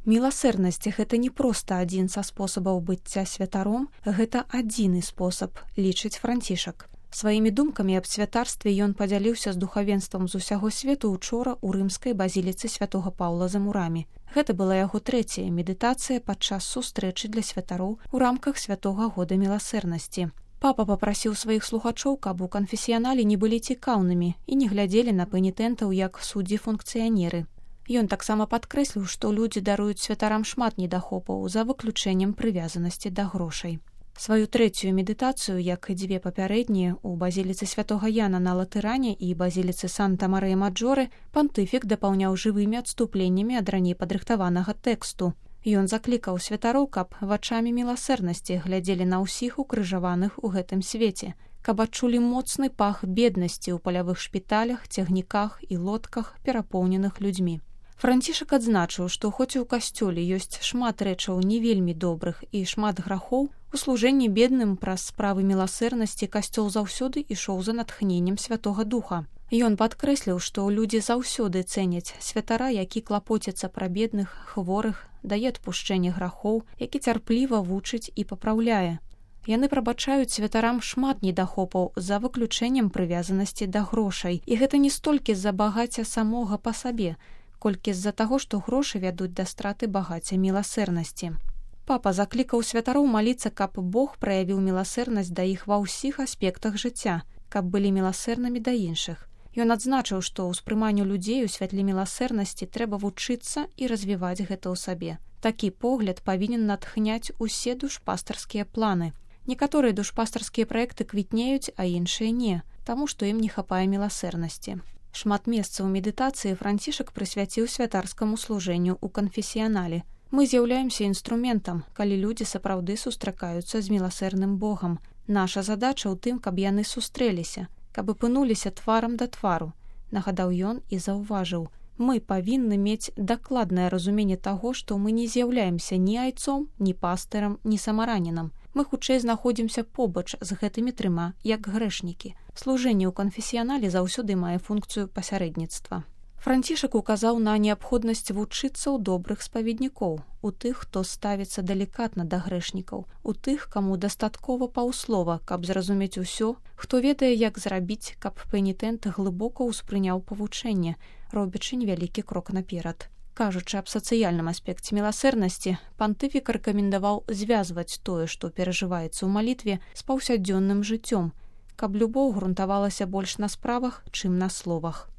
Міласэрнасць – гэта не проста адзін са спосабаў быцця святаром, гэта адзіны спосаб, лічыць Францішак. Сваімі думкамі аб святарстве ён падзяліўся з духавенствам з усяго свету учора ў рымскай базіліцы святога Паўла за мурамі. Гэта была яго трэцяя медытацыя падчас сустрэчы для святароў у рамках святога года міласэрнасці. Папа папрасіў сваіх слухачоў, каб у канфесіянале не былі цікаўнымі і не глядзелі на пэнітэнтаў як суддзі-функцыянеры. Ён таксама падкрэсліў, што людзі даруюць святарам шмат недахопаў за выключэннем прывязанасці да грошай. Сваю трэцюю медытацыю, як і дзве папярэднія, у базіліцы святога Яна на Латыране і базіліцы Санта-Марыя-Маджоры, пантыфік дапаўняў жывымі адступленнямі ад раней падрыхтаванага тэксту. Ён заклікаў святароў, каб вачамі міласэрнасці глядзелі на ўсіх укрыжаваных у гэтым свеце, каб адчулі моцны пах беднасці ў палявых шпіталях, цягніках і лодках, перапоўненых людзьмі. Францішак адзначыў, што хоць у касцёле ёсць шмат рэчаў не вельмі добрых і шмат грахоў, у служэнні бедным праз справы міласэрнасці касцёл заўсёды ішоў за натхненнем Святога Духа. Ён падкрэсліў, што людзі заўсёды цэняць святара, які клапоціцца пра бедных, хворых, дае адпушчэнне грахоў, які цярпліва вучыць і папраўляе. Яны прабачаюць святарам шмат недахопаў за выключэннем прывязанасці да грошай, і гэта не столькі з-за багацця самога па сабе, колькі з-за таго, што грошы вядуць да страты багацця міласэрнасці. Папа заклікаў святароў маліцца, каб Бог праявіў міласэрнасць да іх ва ўсіх аспектах жыцця, каб былі міласэрнымі да іншых. Ён адзначыў, што ўспрыманню людзей у святле міласэрнасці трэба вучыцца і развіваць гэта ў сабе. Такі погляд павінен натхняць усе душпастарскія планы. Некаторыя душпастарскія праекты квітнеюць, а іншыя не, таму што ім не хапае міласэрнасці. Шмат месцаў медытацыі Францішак прысвяціў святарскаму служэнню ў канфесіянале. Мы з'яўляемся інструментам, калі людзі сапраўды сустракаюцца з міласэрным Богам. Наша задача ў тым, каб яны сустрэліся, каб апынуліся тварам да твару, нагадаў ён і заўважыў. Мы павінны мець дакладнае разуменне таго, што мы не з'яўляемся ні айцом, ні пастырам, ні самаранінам. Мы хутчэй знаходзімся побач з гэтымі трыма, як грэшнікі. Служэнне ў канфесіянале заўсёды мае функцыю пасярэдніцтва. Францішак указаў на неабходнасць вучыцца ў добрых спаведнікоў, у тых, хто ставіцца далікатна да грэшнікаў, у тых, каму дастаткова паўслова, каб зразумець усё, хто ведае, як зрабіць, каб пэнітэнт глыбока ўспрыняў павучэнне, робячы невялікі крок наперад. Кажучы аб сацыяльным аспекце міласэрнасці, пантыфік рэкамендаваў звязваць тое, што перажываецца ў малітве, з паўсядзённым жыццём, каб любоў грунтавалася больш на справах, чым на словах.